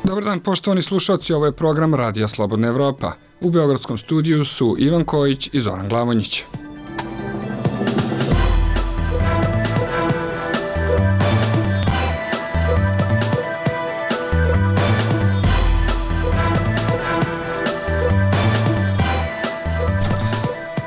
Dobar dan, poštovani slušalci, ovo je program Radija Slobodna Evropa. U beogradskom studiju su Ivan Kojić i Zoran Glavonjić.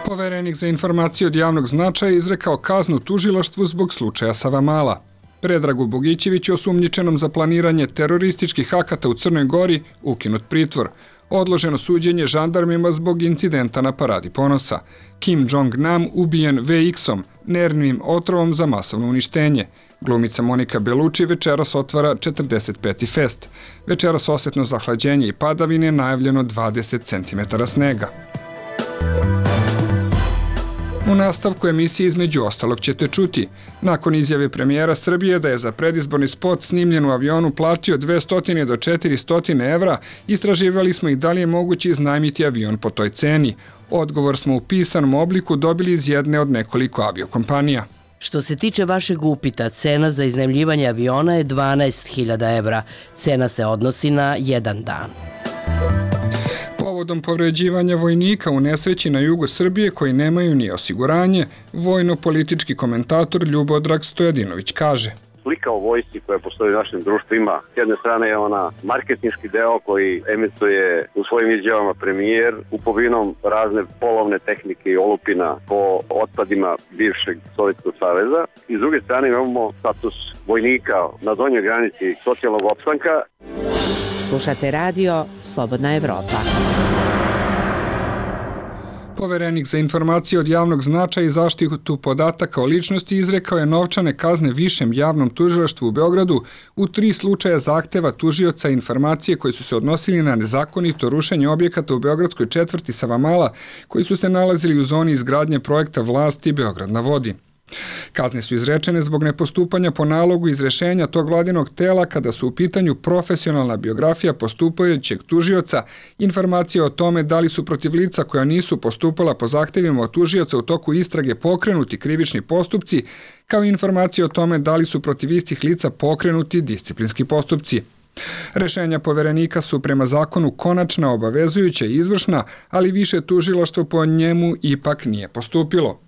Poverenik za informacije od javnog značaja izrekao kaznu tužilaštvu zbog slučaja Savamala. Predragu Bogićeviću, osumnjičenom za planiranje terorističkih akata u Crnoj Gori, ukinut pritvor. Odloženo suđenje žandarmima zbog incidenta na Paradi ponosa. Kim Jong-nam ubijen VX-om, nervnim otrovom za masovno uništenje. Glumica Monika Belucci večeras otvara 45. fest. Večeras osetno zahlađenje i padavine, najavljeno 20 cm snega. U nastavku emisije između ostalog ćete čuti. Nakon izjave premijera Srbije da je za predizborni spot snimljen u avionu platio 200 do 400 evra, istraživali smo i da li je moguće iznajmiti avion po toj ceni. Odgovor smo u pisanom obliku dobili iz jedne od nekoliko aviokompanija. Što se tiče vašeg upita, cena za iznajmljivanje aviona je 12.000 evra. Cena se odnosi na jedan dan. Povodom povređivanja vojnika u nesreći na jugu Srbije koji nemaju ni osiguranje, vojno-politički komentator Ljubodrag Stojadinović kaže: Slika o vojsci koja postoji u našem društvu ima. S jedne strane je ona marketinški deo koji emituje u svojim izjavama premijer kupovinom razne polovne tehnike i olupina po otpadima bivšeg Sovjetskog saveza. I s druge strane imamo status vojnika na donjoj granici socijalnog opstanka. Slušate radio Slobodna Evropa. Poverenik za informacije od javnog značaja i zaštitu podataka o ličnosti izrekao je novčane kazne Višem javnom tužilaštvu u Beogradu u 3 slučaja zahteva tužioca informacije koji su se odnosili na nezakonito rušenje objekata u beogradskoj četvrti Savamala koji su se nalazili u zoni izgradnje projekta vlasti Beograd na vodi. Kazne su izrečene zbog nepostupanja po nalogu iz rešenja tog vladinog tela kada su u pitanju profesionalna biografija postupajućeg tužioca, informacije o tome da li su protiv lica koja nisu postupala po zahtevima od tužioca u toku istrage pokrenuti krivični postupci, kao i informacije o tome da li su protiv istih lica pokrenuti disciplinski postupci. Rešenja poverenika su prema zakonu konačna, obavezujuća i izvršna, ali više tužilaštvo po njemu ipak nije postupilo.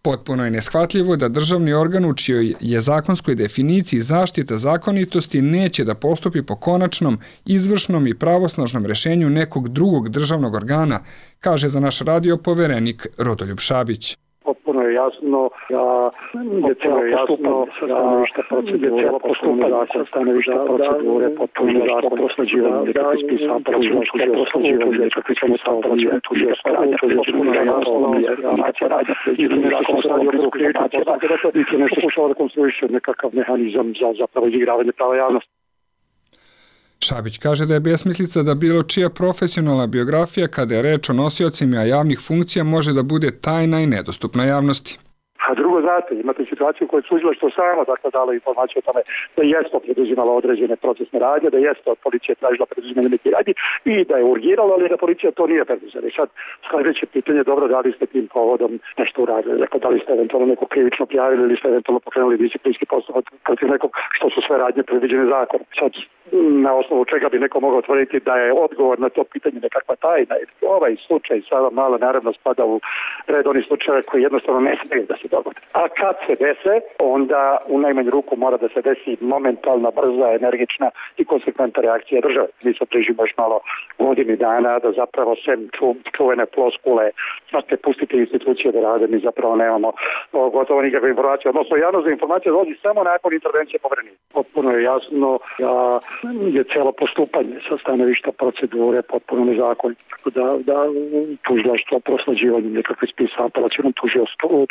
Potpuno je neshvatljivo da državni organ u čijoj je zakonskoj definiciji zaštita zakonitosti neće da postupi po konačnom, izvršnom i pravosnažnom rešenju nekog drugog državnog organa, kaže za naš radio poverenik Rodoljub Šabić. Potpuno je jasno da je cijelo postupanje sa stanovišta procedure, potpuno je jasno prosleđivanje nekakvih spisa, prosleđivanje nekakvih spisa, potpuno je jasno nešto pokušava da konstruiše nekakav mehanizam za zapravo izigravanje prava javnosti. Šabić kaže da je besmislica da bilo čija profesionalna biografija kada je reč o nosiocima javnih funkcija može da bude tajna i nedostupna javnosti. A drugo, znate, imate situaciju u kojoj tužilaštvo samo dalo informaciju o tome da jeste preduzimala određene procesne radnje, da jeste od policije tražila preduzimanje nekih radnji i da je urgirala, ali da policija to nije preduzela. I sad sljedeće pitanje, dobro, da li ste tim povodom nešto uradili, dakle, da li ste eventualno neko krivično prijavili ili ste eventualno pokrenuli disciplinski postupak protiv nekog, što su sve radnje predviđene zakonom. Sad, na osnovu čega bi neko mogao tvrditi da je odgovor na to pitanje nekakva tajna. Ovaj slučaj Savamala naravno spada u red onih slučaja koji jednostavno ne smije da se dogode. A kad se dese, onda u najmanju ruku mora da se desi momentalna, brza, energična i konsekventna reakcija države. Mi se prižimo još malo godini dana da zapravo sem čuvene floskule, znate, pustite institucije da rade, mi zapravo nemamo gotovo nikakve informacije. Odnosno, javnost za informacije dolazi samo nakon intervencije poverenika. Potpuno je jasno da je cijelo postupanje sa stanovišta procedure potpuno nezakonito. Tako da tužilaštvo prosleđivanje nekakvih spisa apelacionom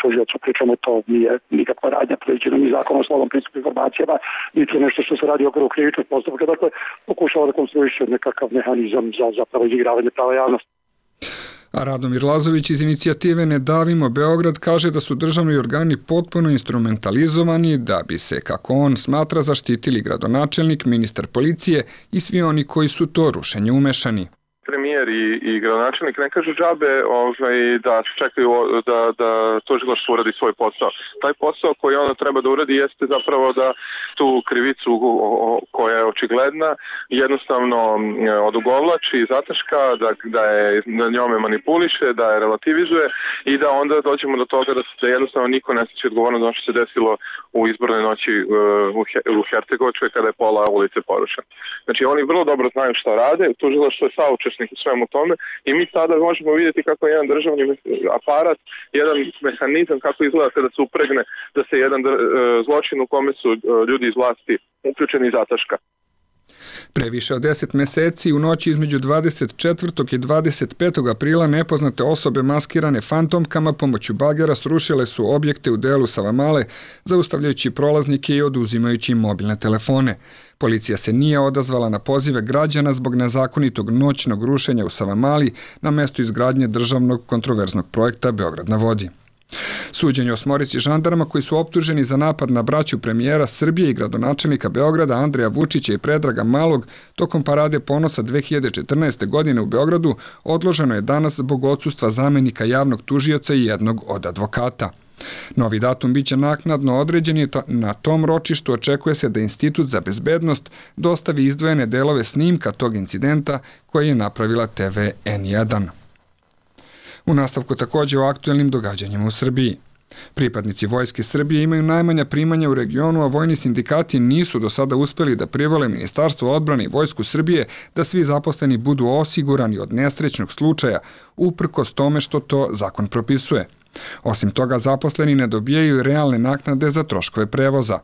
tužiocu, pričamo, to nije nikakva radnja predviđena ni Zakon o slobodnom pristupu informacijama, niti nešto što se radi u okviru krivičnog postupka. Dakle, pokušava da konstruiše nekakav mehanizam za zapravo izigravanje prava javnosti. A Radomir Lazović iz inicijative Ne davimo Beograd kaže da su državni organi potpuno instrumentalizovani da bi se, kako on smatra, zaštitili gradonačelnik, ministar policije i svi oni koji su to rušenje umešani. Premijer i gradonačelnik ne kažu džabe da čekaju da tužilaštvo uradi svoj posao. Taj posao koji ono treba da uradi jeste zapravo da tu krivicu koja je očigledna jednostavno odugovlači, zataška, da je na njome manipuliše, da je relativizuje i da onda dođemo do toga da jednostavno niko ne sjeća odgovorno za ono što se desilo u izbornoj noći u Hercegovačkoj kada je pola ulice porušeno. Znači oni vrlo dobro znaju šta rade, tužilaštvo je saučesnik u svemu tome i mi sada možemo vidjeti kako je jedan državni aparat, jedan mehanizam kako izgleda kada se upregne da se jedan zločin u kome su ljudi iz vlasti uključeni zataška. Previše od 10 meseci u noći između 24. i 25. aprila nepoznate osobe maskirane fantomkama pomoću bagera srušile su objekte u delu Savamale, zaustavljajući prolaznike i oduzimajući im mobilne telefone. Policija se nije odazvala na pozive građana zbog nezakonitog noćnog rušenja u Savamali na mestu izgradnje državnog kontroverznog projekta Beograd na vodi. Suđenje 8 žandarma koji su optuženi za napad na braću premijera Srbije i gradonačelnika Beograda Andreja Vučića i Predraga Malog tokom Parade ponosa 2014. godine u Beogradu odloženo je danas zbog odsustva zamenika javnog tužioca i jednog od advokata. Novi datum biće naknadno određen i na tom ročištu očekuje se da Institut za bezbednost dostavi izdvojene delove snimka tog incidenta koji je napravila TV N1. U nastavku također o aktuelnim događanjima u Srbiji. Pripadnici Vojske Srbije imaju najmanja primanja u regionu, a vojni sindikati nisu do sada uspeli da privole Ministarstvo odbrane i Vojsku Srbije da svi zaposleni budu osigurani od nesrećnog slučaja, uprkos tome što to zakon propisuje. Osim toga, zaposleni ne dobijaju realne naknade za troškove prevoza.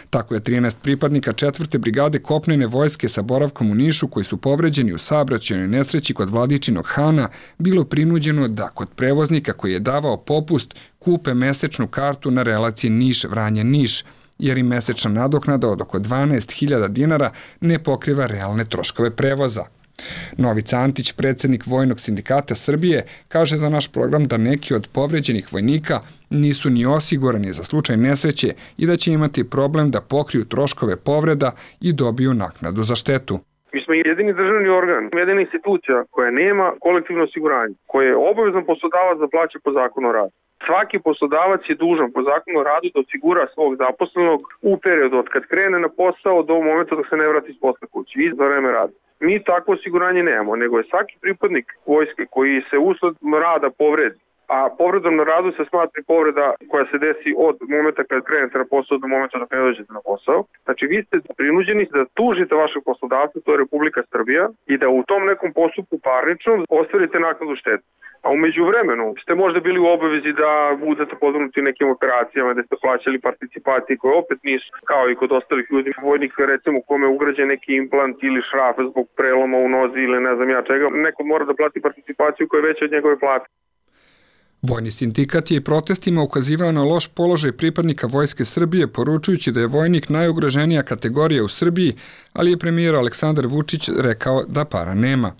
Tako je 13 pripadnika 4. brigade kopnene vojske sa boravkom u Nišu koji su povređeni u saobraćajnoj nesreći kod Vladičinog Hana bilo prinuđeno da kod prevoznika koji je davao popust kupe mesečnu kartu na relaciji Niš-Vranje-Niš, jer im mesečna nadoknada od oko 12.000 dinara ne pokriva realne troškove prevoza. Novica Antić, predsjednik Vojnog sindikata Srbije, kaže za naš program da neki od povređenih vojnika nisu ni osigurani za slučaj nesreće i da će imati problem da pokriju troškove povreda i dobiju naknadu za štetu. Mi smo jedini državni organ, jedina institucija koja nema kolektivno osiguranje, koje je obavezan poslodavac da plaća po zakonu o radu. Svaki poslodavac je dužan po zakonu o radu da osigura svog zaposlenog u periodu od kad krene na posao do momenta dok se ne vrati iz posla kući i za vreme rada. Mi takvo osiguranje nemamo, nego je svaki pripadnik vojske koji se usled rada povredi, a povredom na radu se smatra povreda koja se desi od momenta kad krenete na posao do momenta dok ne dođete na posao. Znači vi ste prinuđeni da tužite vašeg poslodavca, to je Republika Srbija, i da u tom nekom postupku parničnom ostvarite naknadu štete. A umeđu vremenu ste možda bili u obavezi da budete podvrgnuti nekim operacijama, da ste plaćali participacije koje opet nisu, kao i kod ostalih ljudi, vojnika recimo u kome je ugrađen neki implant ili šraf zbog preloma u nozi ili ne znam ja čega, neko mora da plati participaciju koja je veća od njegove plate. Vojni sindikat je i protestima ukazivao na loš položaj pripadnika Vojske Srbije, poručujući da je vojnik najugroženija kategorija u Srbiji, ali je premijer Aleksandar Vučić rekao da para nema.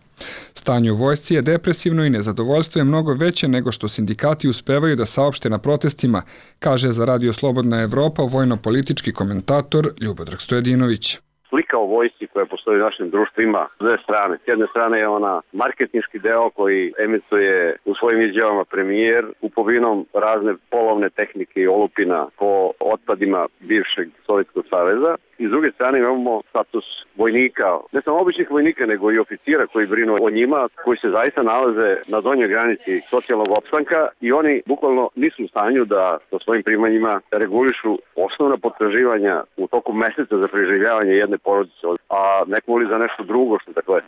Stanje u vojsci je depresivno i nezadovoljstvo je mnogo veće nego što sindikati uspevaju da saopšte na protestima, kaže za Radio Slobodna Evropa vojno-politički komentator Ljubodrag Stojadinović. Slika o vojsci koja postoji u našem društvu ima dve strane. S jedne strane je ona marketinški deo koji emituje u svojim izjavama premijer kupovinom razne polovne tehnike i olupina po otpadima bivšeg Sovjetskog saveza. I s druge strane imamo status vojnika, ne samo običnih vojnika, nego i oficira koji brinu o njima, koji se zaista nalaze na donjoj granici socijalnog opstanka i oni bukvalno nisu u stanju da sa svojim primanjima regulišu osnovna potraživanja u toku meseca za preživljavanje jedne porodice, a neko li za nešto drugo.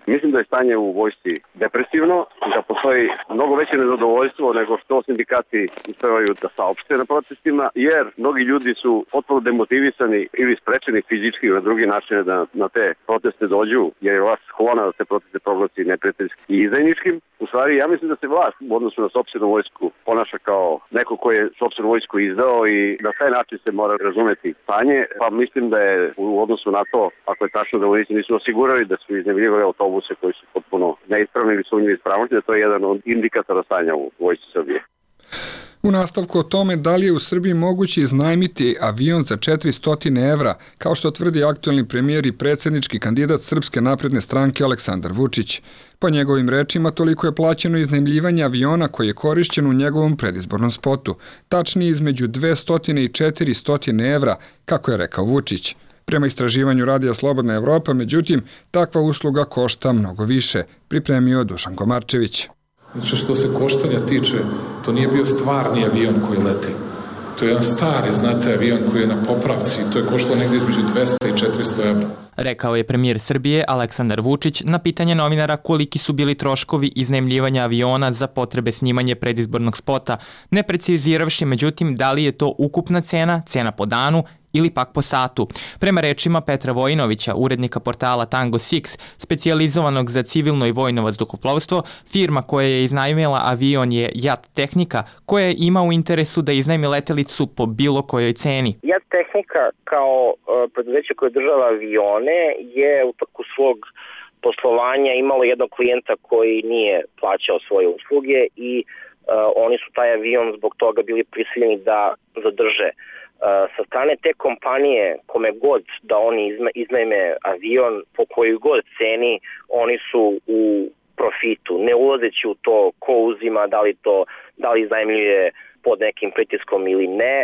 Mislim da je stanje u vojsci depresivno, da postoji mnogo veće nezadovoljstvo nego što sindikati uspevaju da saopšte na protestima, jer mnogi ljudi su potpuno demotivisani ili sprečeni fizički na drugi način da na te proteste dođu, jer je vlast sklona da te proteste proglasi neprijateljskim i izdajničkim. U stvari, ja mislim da se vlast u odnosu na sopstvenu vojsku ponaša kao neko ko je sopstvenu vojsku izdao i na taj način se mora razumeti stanje, pa mislim da je u odnosu na to, ako je tačno da vojnici nisu osigurali da su iznajmljivali autobuse koji su potpuno neispravni ili sumnjivi ispravnosti, da to je jedan od indikatora stanja u vojsci Srbije. U nastavku o tome da li je u Srbiji moguće iznajmiti avion za 400 evra, kao što tvrdi aktuelni premijer i predsjednički kandidat Srpske napredne stranke Aleksandar Vučić. Po njegovim rečima, toliko je plaćeno iznajmljivanje aviona koji je korišćen u njegovom predizbornom spotu, tačnije između 200 i 400 evra, kako je rekao Vučić. Prema istraživanju Radija Slobodna Evropa, međutim, takva usluga košta mnogo više, pripremio Dušan Komarčević. Znači, što se koštanja tiče, to nije bio stvarni avion koji leti. To je jedan stari, znate, avion koji je na popravci. To je koštalo negdje između 200 i 400 evra. Rekao je premijer Srbije Aleksandar Vučić na pitanje novinara koliki su bili troškovi iznajmljivanja aviona za potrebe snimanja predizbornog spota, ne preciziravši međutim da li je to ukupna cena po danu ili pak po satu. Prema rečima Petra Vojinovića, urednika portala Tango 6, specijalizovanog za civilno i vojno vazduhoplovstvo, firma koja je iznajmila avion je JAT Tehnika, koja ima u interesu da iznajmi letelicu po bilo kojoj ceni. JAT Tehnika kao preduzeće koje država avione je u toku svog poslovanja imalo jednog klijenta koji nije plaćao svoje usluge i oni su taj avion zbog toga bili prisiljeni da zadrže. Sa strane te kompanije, kome god da oni iznajme avion, po kojoj god ceni, oni su u profitu, ne ulazeći u to ko uzima, da li iznajmljuje pod nekim pritiskom ili ne,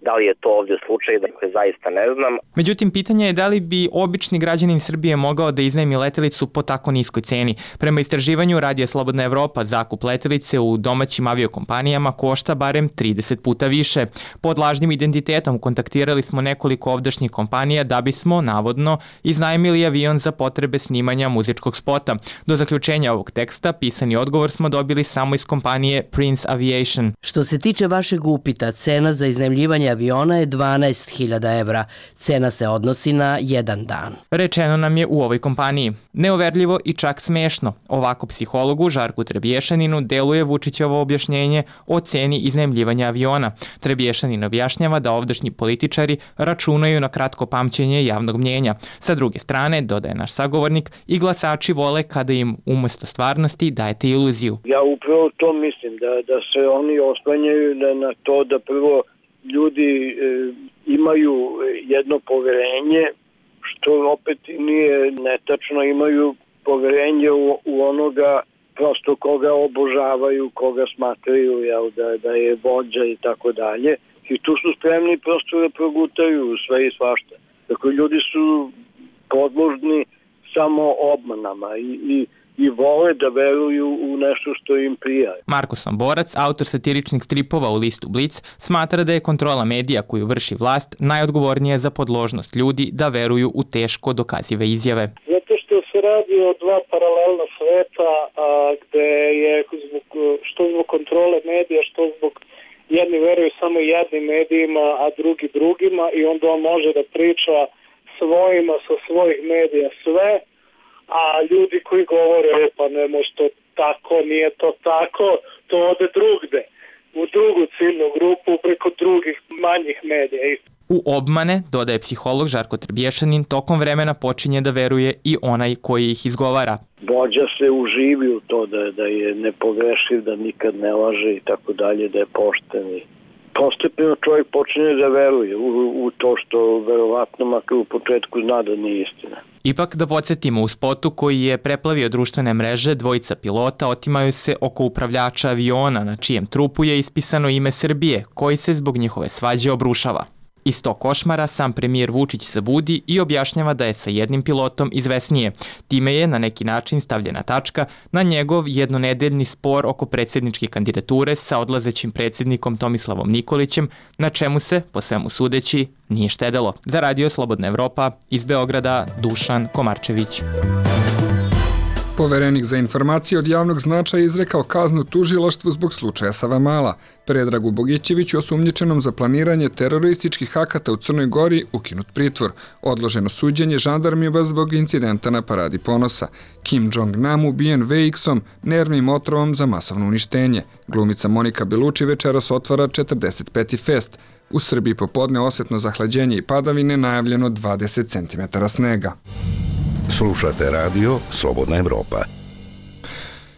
da li je to ovdje slučaj, dakle zaista ne znam. Međutim, pitanje je da li bi obični građanin Srbije mogao da iznajmi letelicu po tako niskoj ceni. Prema istraživanju Radija Slobodna Evropa, zakup letelice u domaćim aviokompanijama košta barem 30 puta više. Pod lažnim identitetom kontaktirali smo nekoliko ovdašnjih kompanija da bismo, navodno, iznajmili avion za potrebe snimanja muzičkog spota. Do zaključenja ovog teksta, pisani odgovor smo dobili samo iz kompanije Prince Aviation. Što se tiče vašeg upita, cena za iznajmljivanje aviona je 12.000 evra. Cena se odnosi na jedan dan. Rečeno nam je u ovoj kompaniji. Neoverljivo i čak smešno. Ovako psihologu Žarku Trebješaninu deluje Vučićevo objašnjenje o ceni iznajmljivanja aviona. Trebješanin objašnjava da ovdašnji političari računaju na kratko pamćenje javnog mnjenja. Sa druge strane, dodaje naš sagovornik, i glasači vole kada im umesto stvarnosti dajete iluziju. Ja upravo to mislim, da se oni oslanjaju na to da prvo ljudi imaju jedno poverenje, što opet nije netačno, imaju poverenje u onoga prosto koga obožavaju, koga smatraju da je vođa i tako dalje. I tu su spremni prosto da progutaju sve i svašta. Dakle, ljudi su podložni samo obmanama i vole da veruju u nešto što im prija. Marko Samborac, autor satiričnih stripova u listu Blic, smatra da je kontrola medija koju vrši vlast najodgovornija za podložnost ljudi da veruju u teško dokazive izjave. Zato što se radi o dva paralelna sveta gde je što zbog kontrole medija, što zbog jedni veruju samo jednim medijima, a drugi drugima, i onda on može da priča svojima sa svojih medija sve, a ljudi koji govore pa ne može to tako, nije to tako, to ode drugde, u drugu ciljnu grupu preko drugih manjih medija. U obmane, dodaje psiholog Žarko Trebješanin, tokom vremena počinje da veruje i onaj koji ih izgovara. Vođa se uživi u to da je nepogrešiv, da nikad ne laže i tako dalje, da je pošten. Postepeno čovjek počinje da veruje u to što verovatno makar u početku zna da nije istina. Ipak da podsjetimo, u spotu koji je preplavio društvene mreže, dvojica pilota otimaju se oko upravljača aviona na čijem trupu je ispisano ime Srbije, koji se zbog njihove svađe obrušava. Iz tog košmara sam premijer Vučić se budi i objašnjava da je sa jednim pilotom izvesnije. Time je na neki način stavljena tačka na njegov jednonedeljni spor oko predsjedničke kandidature sa odlazećim predsjednikom Tomislavom Nikolićem, na čemu se, po svemu sudeći, nije štedelo. Za Radio Slobodna Evropa, iz Beograda, Dušan Komarčević. Poverenik za informacije od javnog značaja izrekao kaznu tužilaštvu zbog slučaja Savamala. Predragu Bogićeviću, osumnjičenom za planiranje terorističkih akata u Crnoj Gori, ukinut pritvor. Odloženo suđenje žandarmima zbog incidenta na Paradi ponosa. Kim Jong-nam ubijen VX-om, nervnim otrovom za masovno uništenje. Glumica Monika Beluči večeras otvara 45. fest. U Srbiji popodne osetno zahlađenje i padavine, najavljeno 20 cm snega. Slušate radio Slobodna Evropa.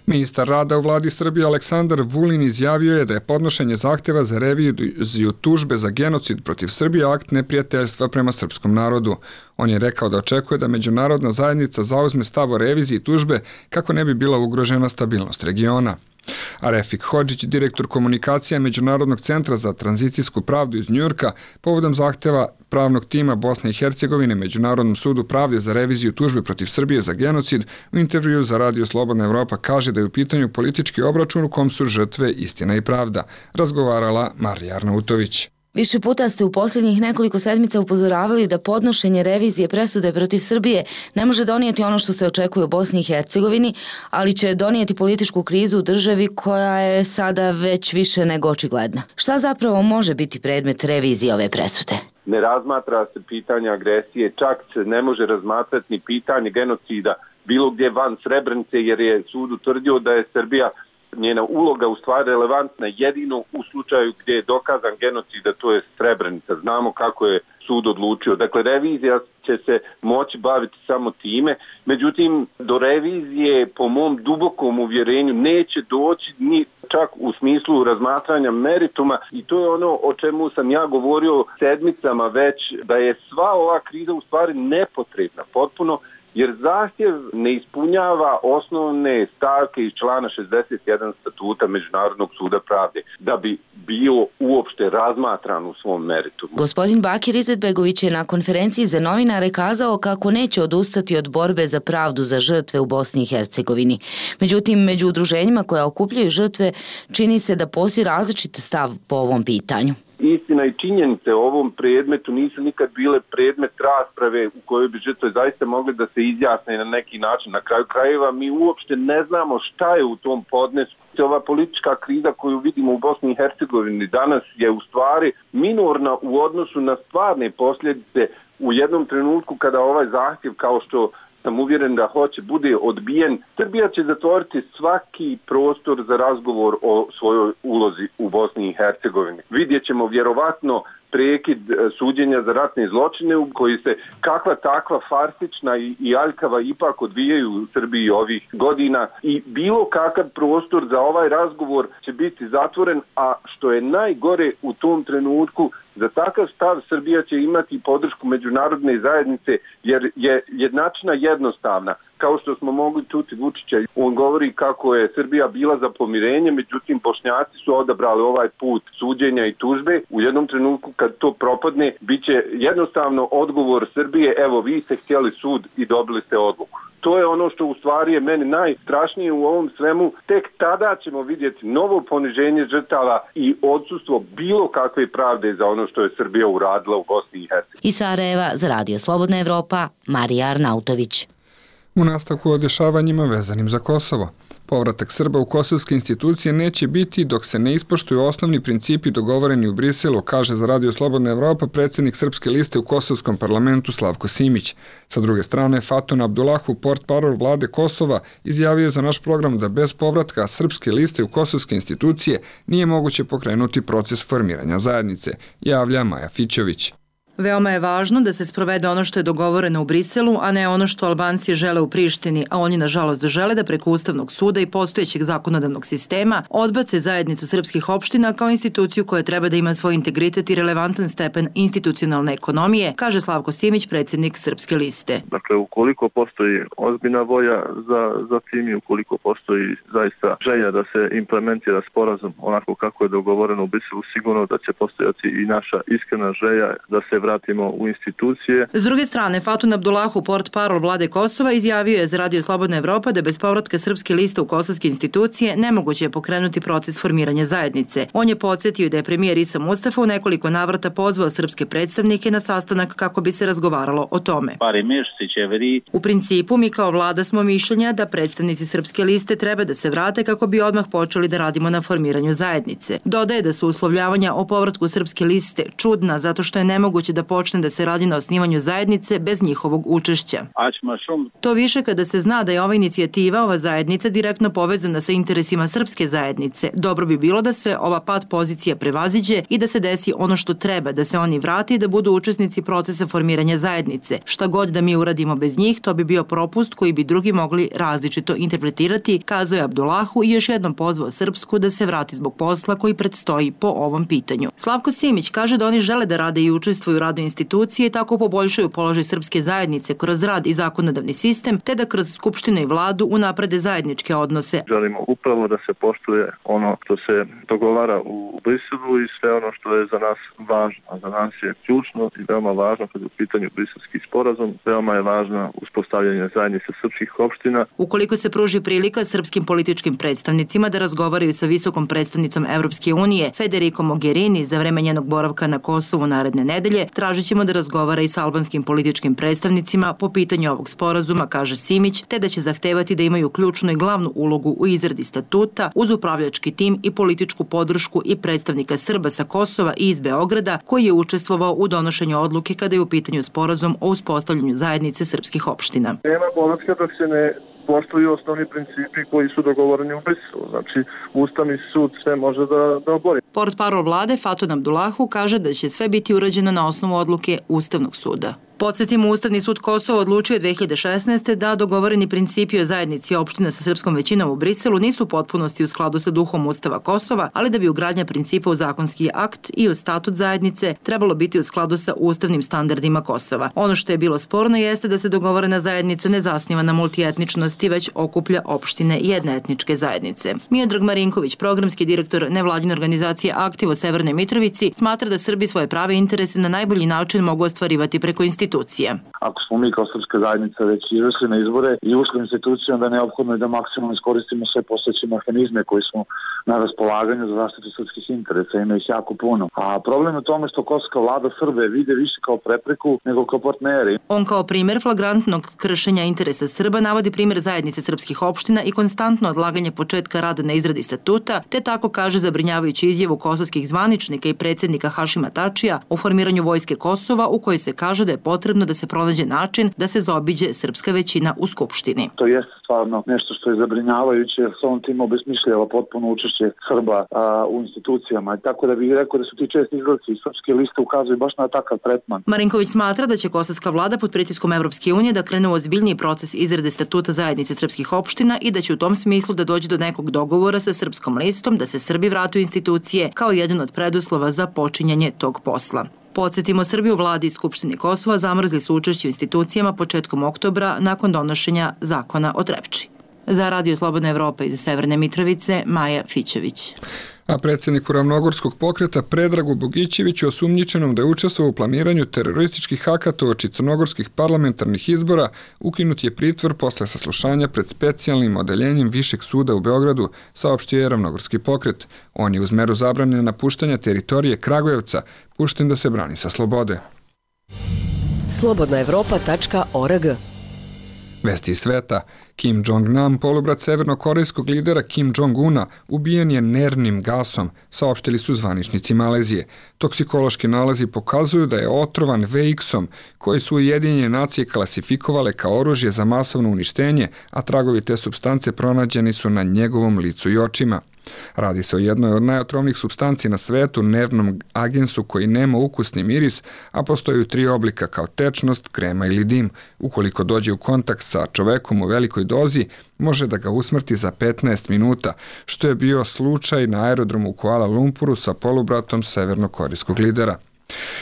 Ministar rada u vladi Srbije Aleksandar Vulin izjavio je da je podnošenje zahteva za reviziju tužbe za genocid protiv Srbije akt neprijateljstva prema srpskom narodu. On je rekao da očekuje da međunarodna zajednica zauzme stav o reviziji tužbe kako ne bi bila ugrožena stabilnost regiona. A Refik Hodžić, direktor komunikacija Međunarodnog centra za tranzicijsku pravdu iz Njujorka, povodom zahteva pravnog tima Bosne i Hercegovine Međunarodnom sudu pravde za reviziju tužbe protiv Srbije za genocid, u intervju za Radio Slobodna Evropa kaže da je u pitanju politički obračun u kom su žrtve istina i pravda. Razgovarala Marija Arnautović. Više puta ste u posljednjih nekoliko sedmica upozoravali da podnošenje revizije presude protiv Srbije ne može donijeti ono što se očekuje u Bosni i Hercegovini, ali će donijeti političku krizu u državi koja je sada već više nego očigledna. Šta zapravo može biti predmet revizije ove presude? Ne razmatra se pitanje agresije, čak se ne može razmatrati ni pitanje genocida bilo gdje van Srebrenice, jer je sud utvrdio da je Srbija, njena uloga u stvari relevantna jedino u slučaju gdje je dokazan genocid, a to je Srebrenica. Znamo kako je sud odlučio. Dakle, revizija će se moći baviti samo time. Međutim, do revizije, po mom dubokom uvjerenju, neće doći ni čak u smislu razmatranja merituma, i to je ono o čemu sam ja govorio sedmicama već, da je sva ova kriza u stvari nepotrebna potpuno, jer zahtjev ne ispunjava osnovne stavke iz člana 61 statuta Međunarodnog suda pravde da bi bio uopšte razmatran u svom meritumu. Gospodin Bakir Izetbegović je na konferenciji za novinare kazao kako neće odustati od borbe za pravdu za žrtve u Bosni i Hercegovini. Međutim, među udruženjima koja okupljaju žrtve čini se da postoji različit stav po ovom pitanju. Istina i činjenice o ovom predmetu nisu nikad bile predmet rasprave u kojoj bi žrtve zaista mogli da se izjasne na neki način. Na kraju krajeva mi uopšte ne znamo šta je u tom podnesku. Ova politička kriza koju vidimo u Bosni i Hercegovini danas je u stvari minorna u odnosu na stvarne posljedice u jednom trenutku kada ovaj zahtjev, kao što sam uvjeren da hoće, bude odbijen. Srbija će zatvoriti svaki prostor za razgovor o svojoj ulozi u Bosni i Hercegovini. Vidjet ćemo vjerovatno prekid suđenja za ratne zločine u koji se kakva takva farsična i aljkava ipak odvijaju u Srbiji ovih godina, i bilo kakav prostor za ovaj razgovor će biti zatvoren, a što je najgore u tom trenutku, za takav stav Srbija će imati podršku međunarodne zajednice, jer je jednačina jednostavna. Kao što smo mogli čuti Vučića, on govori kako je Srbija bila za pomirenje, međutim Bošnjaci su odabrali ovaj put suđenja i tužbe. U jednom trenutku kad to propadne, bit će jednostavno odgovor Srbije: evo, vi ste htjeli sud i dobili ste odluku. To je ono što u stvari je meni najstrašnije u ovom svemu. Tek tada ćemo vidjeti novo poniženje žrtava i odsustvo bilo kakve pravde za ono što je Srbija uradila u Bosni i Hercegovini. Iz Sarajeva za Radio Slobodna Evropa, Marija Arnautović. U nastavku o dešavanjima vezanim za Kosovo. Povratak Srba u kosovske institucije neće biti dok se ne ispoštuju osnovni principi dogovoreni u Briselu, kaže za Radio Slobodna Evropa predsjednik Srpske liste u Kosovskom parlamentu Slavko Simić. Sa druge strane, Fatun Abdulahu, portparol vlade Kosova, izjavio za naš program da bez povratka Srpske liste u kosovske institucije nije moguće pokrenuti proces formiranja zajednice, javlja Maja Fićović. Veoma je važno da se sprovede ono što je dogovoreno u Briselu, a ne ono što Albanci žele u Prištini, a oni nažalost žele da preko Ustavnog suda i postojećeg zakonodavnog sistema odbace zajednicu srpskih opština kao instituciju koja treba da ima svoj integritet i relevantan stepen institucionalne ekonomije, kaže Slavko Simić, predsjednik Srpske liste. Dakle, ukoliko postoji ozbiljna volja za tim i ukoliko postoji zaista želja da se implementira sporazum onako kako je dogovoreno u Briselu, sigurno da će postojati i naša iskrena želja da se vratimo u institucije. S druge strane, Fatun Abdulahu, portparol vlade Kosova, izjavio je za Radio Slobodna Evropa da bez povratka Srpske liste u kosovske institucije nemoguće je pokrenuti proces formiranja zajednice. On je podsjetio da je premijer Isa Mustafa u nekoliko navrata pozvao srpske predstavnike na sastanak kako bi se razgovaralo o tome. U principu, mi kao vlada smo mišljenja da predstavnici Srpske liste treba da se vrate kako bi odmah počeli da radimo na formiranju zajednice. Dodaje da su uslovljavanja o povratku Srpske liste čudna zato što je nemoguće će da počne da se radi na osnivanju zajednice bez njihovog učešća. To više kada se zna da je ova inicijativa, ova zajednica direktno povezana sa interesima srpske zajednice. Dobro bi bilo da se ova pad pozicija prevaziđe i da se desi ono što treba, da se oni vrati i da budu učesnici procesa formiranja zajednice. Šta god da mi uradimo bez njih, to bi bio propust koji bi drugi mogli različito interpretirati, kazao je Abdulahu i još jednom pozvao Srpsku da se vrati zbog posla koji predstoji po ovom pitanju. Slavko Simić kaže da oni žele da rade i učestvuju u radu institucije i tako poboljšaju položaj srpske zajednice kroz rad i zakonodavni sistem, te da kroz Skupštinu i vladu unaprede zajedničke odnose. Želimo upravo da se poštuje ono što se dogovara u Briselu i sve ono što je za nas važno. A za nas je ključno i veoma važno kada je u pitanju briselski sporazum, veoma je važno uspostavljanje zajednice srpskih opština. Ukoliko se pruži prilika srpskim političkim predstavnicima da razgovaraju sa visokom predstavnicom Evropske unije Federico Mogherini za vreme njenog boravka na Kosovu naredne nedelje, tražit ćemo da razgovara i sa albanskim političkim predstavnicima po pitanju ovog sporazuma, kaže Simić, te da će zahtevati da imaju ključnu i glavnu ulogu u izradi statuta uz upravljački tim i političku podršku i predstavnika Srba sa Kosova i iz Beograda koji je učestvovao u donošenju odluke kada je u pitanju sporazum o uspostavljanju zajednice srpskih opština. Nema povratka da se ne poštuju osnovni principi koji su dogovoreni u Briselu. Znači, Ustavni sud sve može da obori. Portparol vlade Fatun Abdulahu kaže da će sve biti urađeno na osnovu odluke Ustavnog suda. Podsjetimo, Ustavni sud Kosova odlučio 2016. da dogovoreni principi o zajednici opština sa srpskom većinom u Briselu nisu u potpunosti u skladu sa duhom Ustava Kosova, ali da bi ugradnja principa u zakonski akt i u statut zajednice trebalo biti u skladu sa ustavnim standardima Kosova. Ono što je bilo sporno jeste da se dogovorena zajednica ne zasniva na multietničnosti, već okuplja opštine jedne etničke zajednice. Miodrag Marinković, programski direktor nevladine organizacije Aktiv u Severnoj Mitrovici, smatra da Srbi svoje prave interese na najbolji način mogu ostvarivati preko institucije. Ako smo mi kao srpska zajednica već izašli na izbore i ušli u instituciju, onda je neophodno da maksimalno iskoristimo sve postojeće mehanizme koji smo na raspolaganju za zaštitu srpskih interesa, ima ih jako puno. A problem je u tome što kosovska vlada Srbe vide više kao prepreku nego kao partneri. On kao primer flagrantnog kršenja interesa Srba navodi primer zajednice srpskih opština i konstantno odlaganje početka rada na izradi statuta, te tako kaže zabrinjavajući izjavu kosovskih zvaničnika i predsjednika Hašima Tačija o formiranju vojske Kosova, u kojoj se kaže da je potrebno da se pronađe način da se zaobiđe srpska većina u Skupštini. To jeste stvarno nešto što je zabrinjavajuće, jer se on tim obesmišljava potpuno učešće Srba u institucijama. Tako da bih rekao da su ti česti izgledci iz srpske liste ukazuju baš na takav tretman. Marinković smatra da će kosovska vlada pod pritiskom Evropske unije da krene u ozbiljniji proces izrade statuta zajednice srpskih opština i da će u tom smislu da dođe do nekog dogovora sa srpskom listom da se Srbi vrate u institucije kao jedan od preduslova za počinjanje tog posla. Podsjetimo, Srbi u vladi i Skupštini Kosova zamrzli su učešće u institucijama početkom oktobra nakon donošenja zakona o Trepči. Za Radio Slobodna Evropa iz Severne Mitrovice, Maja Fićević. A predsjedniku Ravnogorskog pokreta Predragu Bogićeviću, osumnjičenom da je učestvovao u planiranju terorističkih akata uoči crnogorskih parlamentarnih izbora, ukinut je pritvor posle saslušanja pred specijalnim odeljenjem Višeg suda u Beogradu, saopštio je Ravnogorski pokret. On je uz meru zabrane napuštanja teritorije Kragujevca pušten da se brani sa slobode. Slobodnaevropa.org. Vesti iz sveta. Kim Jong-nam, polubrat severnokorejskog lidera Kim Jong-una, ubijen je nervnim gasom, saopštili su zvaničnici Malezije. Toksikološki nalazi pokazuju da je otrovan VX-om, koji su Ujedinjene nacije klasifikovale kao oružje za masovno uništenje, a tragovi te supstance pronađeni su na njegovom licu i očima. Radi se o jednoj od najotrovnijih supstanci na svetu, nervnom agensu koji nema ukusni miris, a postoji 3 oblika kao tečnost, krema ili dim. Ukoliko dođe u kontakt sa čovekom u velikoj dozi, može da ga usmrti za 15 minuta, što je bio slučaj na aerodromu u Kuala Lumpuru sa polubratom severnokorejskog lidera.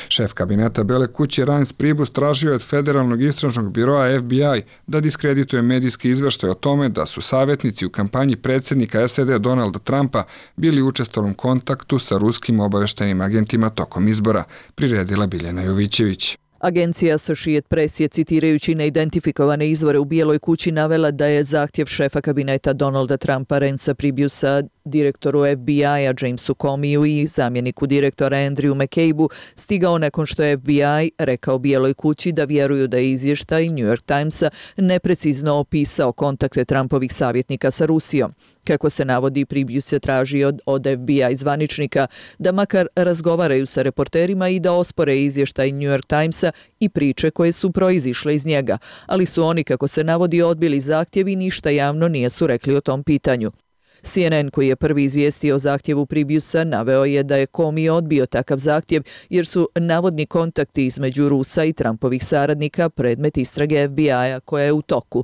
Šef kabineta Bele kuće Reince Priebus tražio je od Federalnog istražnog biroa FBI da diskredituje medijski izveštaj o tome da su savjetnici u kampanji predsjednika SAD Donalda Trumpa bili u učestalom kontaktu sa ruskim obaveštajnim agentima tokom izbora, priredila Biljana Jovićević. Agencija Associated Press je, citirajući neidentifikovane izvore u Bijeloj kući, navela da je zahtjev šefa kabineta Donalda Trumpa Reincea Priebusa direktoru FBI-a Jamesu Comeyju i zamjeniku direktora Andrew McCabe-u stigao nakon što je FBI rekao Bijeloj kući da vjeruju da je izvještaj New York Timesa neprecizno opisao kontakte Trumpovih savjetnika sa Rusijom. Kako se navodi, Pribjus je tražio od FBI zvaničnika da makar razgovaraju sa reporterima i da ospore izvještaj New York Timesa i priče koje su proizišle iz njega, ali su oni, kako se navodi, odbili zahtjev i ništa javno nisu rekli o tom pitanju. CNN, koji je prvi izvijestio o zahtjevu Pribjusa, naveo je da je Comey odbio takav zahtjev jer su navodni kontakti između Rusa i Trumpovih saradnika predmet istrage FBI-a koja je u toku.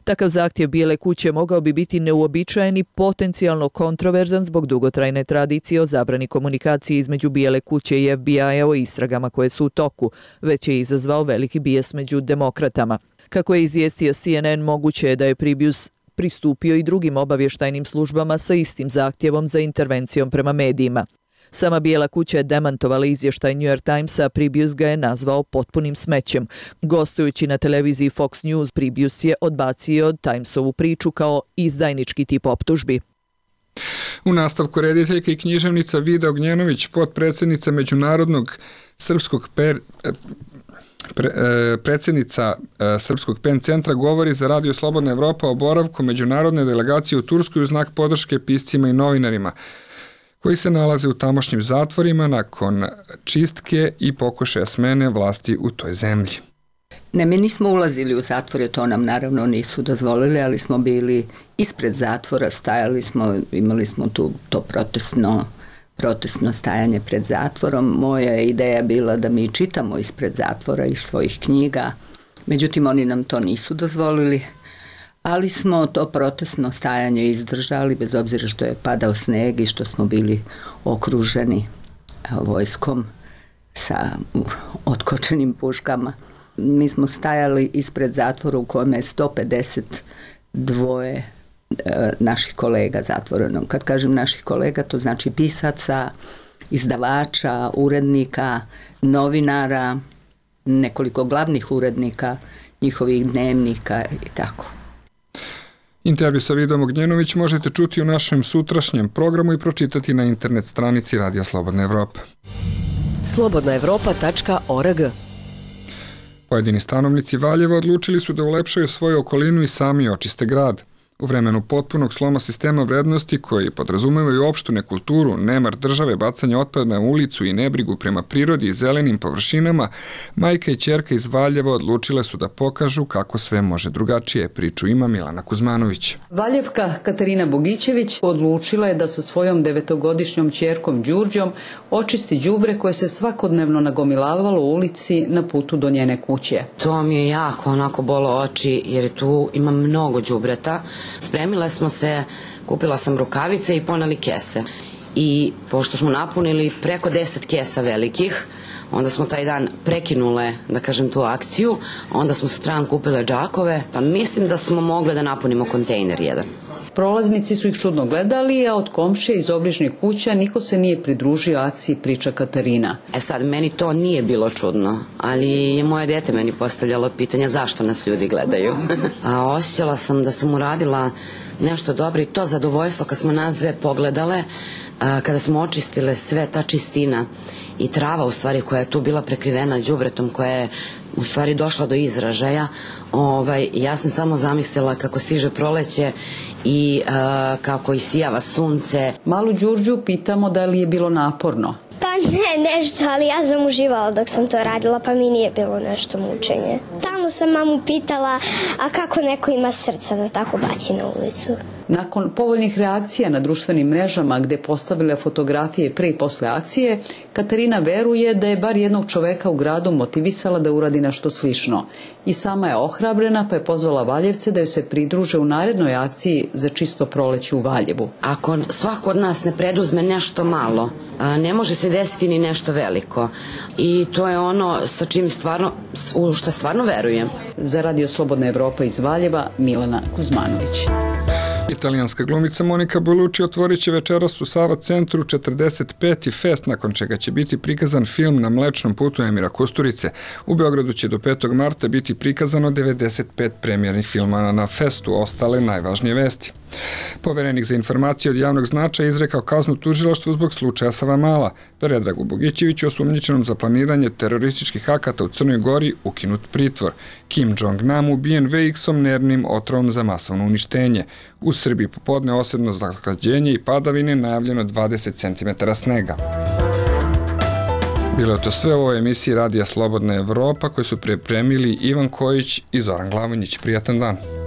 Takav zahtjev Bijele kuće mogao bi biti neuobičajen i potencijalno kontroverzan zbog dugotrajne tradicije o zabrani komunikacije između Bijele kuće i FBI-a o istragama koje su u toku, već je izazvao veliki bijes među demokratama. Kako je izvijestio CNN, moguće je da je Pribjus pristupio i drugim obavještajnim službama sa istim zahtjevom za intervencijom prema medijima. Sama Bijela kuća je demantovala izvještaj New York Timesa, a Pribjus ga je nazvao potpunim smećem. Gostujući na televiziji Fox News, Pribjus je odbacio Timesovu priču kao izdajnički tip optužbi. U nastavku rediteljka i književnica Vida Ognjenović, potpredsjednica Međunarodnog srpskog predsjednica Srpskog PEN centra govori za Radio Slobodna Evropa o boravku međunarodne delegacije u Turskoj u znak podrške piscima i novinarima koji se nalaze u tamošnjim zatvorima nakon čistke i pokušaja smene vlasti u toj zemlji. Ne, mi nismo ulazili u zatvore, to nam naravno nisu dozvolili, ali smo bili ispred zatvora, stajali smo, imali smo tu to protestno stajanje pred zatvorom. Moja je ideja bila da mi čitamo ispred zatvora iz svojih knjiga, međutim oni nam to nisu dozvolili, ali smo to protestno stajanje izdržali bez obzira što je padao sneg i što smo bili okruženi vojskom sa otkočenim puškama. Mi smo stajali ispred zatvora u kojem je 152 naših kolega zatvoreno. Kad kažem naših kolega, to znači pisaca, izdavača, urednika, novinara, nekoliko glavnih urednika, njihovih dnevnika i tako. Intervju sa Vidom Ognjenović možete čuti u našem sutrašnjem programu i pročitati na internet stranici Radija Slobodna Evropa. slobodnaevropa.org. Pojedini stanovnici Valjeva odlučili su da ulepšaju svoju okolinu i sami očiste grad. U vremenu potpunog sloma sistema vrednosti koji podrazumevaju opštu nekulturu, nemar države, bacanje otpada na ulicu i nebrigu prema prirodi i zelenim površinama, majka i ćerka iz Valjeva odlučile su da pokažu kako sve može drugačije. Priču ima Milana Kuzmanović. Valjevka Katarina Bogićević odlučila je da sa svojom 9-godišnjom ćerkom Đurđom očisti đubre koje se svakodnevno nagomilavalo u ulici na putu do njene kuće. To mi je jako onako bolo oči jer tu ima mnogo đubreta. Spremile smo se, kupila sam rukavice i poneli kese. I pošto smo napunili preko 10 kesa velikih, onda smo taj dan prekinule, da kažem, tu akciju, onda smo sutradan kupile džakove, pa mislim da smo mogli da napunimo kontejner jedan. Prolaznici su ih čudno gledali, a od komšije iz obližnjih kuća niko se nije pridružio akciji, priča Katarina. Sad, meni to nije bilo čudno, ali je moje dete meni postavljalo pitanja zašto nas ljudi gledaju. A osjećala sam da sam uradila nešto dobro i to zadovoljstvo kad smo nas dve pogledale, kada smo očistile sve ta čistina i trava u stvari koja je tu bila prekrivena đubretom, koja je u stvari došla do izražaja. Ja sam samo zamislila kako stiže proleće i kako isijava sunce. Malu Đurđu pitamo da li je bilo naporno. Pa ne, nešto, ali ja sam uživala dok sam to radila, pa mi nije bilo nešto mučenje. Stalno sam mamu pitala, a kako neko ima srca da tako baci na ulicu. Nakon povoljnih reakcija na društvenim mrežama gde postavile fotografije pre i posle akcije, Katarina veruje da je bar jednog čoveka u gradu motivisala da uradi nešto slično. I sama je ohrabrena pa je pozvala Valjevce da joj se pridruže u narednoj akciji za čisto proleće u Valjevu. Ako svako od nas ne preduzme nešto malo, ne može se desiti ni nešto veliko. I to je ono sa čim stvarno, u što stvarno verujem. Za Radio Slobodna Evropa iz Valjeva, Milana Kuzmanović. Italijanska glumica Monika Bellucci otvorit će večeras u Sava centru 45. fest, nakon čega će biti prikazan film Na mlečnom putu Emira Kusturice. U Beogradu će do 5. marta biti prikazano 95 premijernih filmova na festu, ostale najvažnije vesti. Poverenik za informacije od javnog značaja izrekao kaznu tužilaštvu zbog slučaja Savamala. Predragu Bogićeviću, osumnjičenom za planiranje terorističkih akata u Crnoj Gori, ukinut pritvor. Kim Jong-nam ubijen VX-om nervnim otrovom za masovno uništenje. U Srbiji popodne osedno zahlađenje i padavine, najavljeno 20 cm snega. Bilo je to sve u ovoj emisiji Radija Slobodna Evropa koju su pripremili Ivan Kojić i Zoran Glavonjić. Prijatan dan.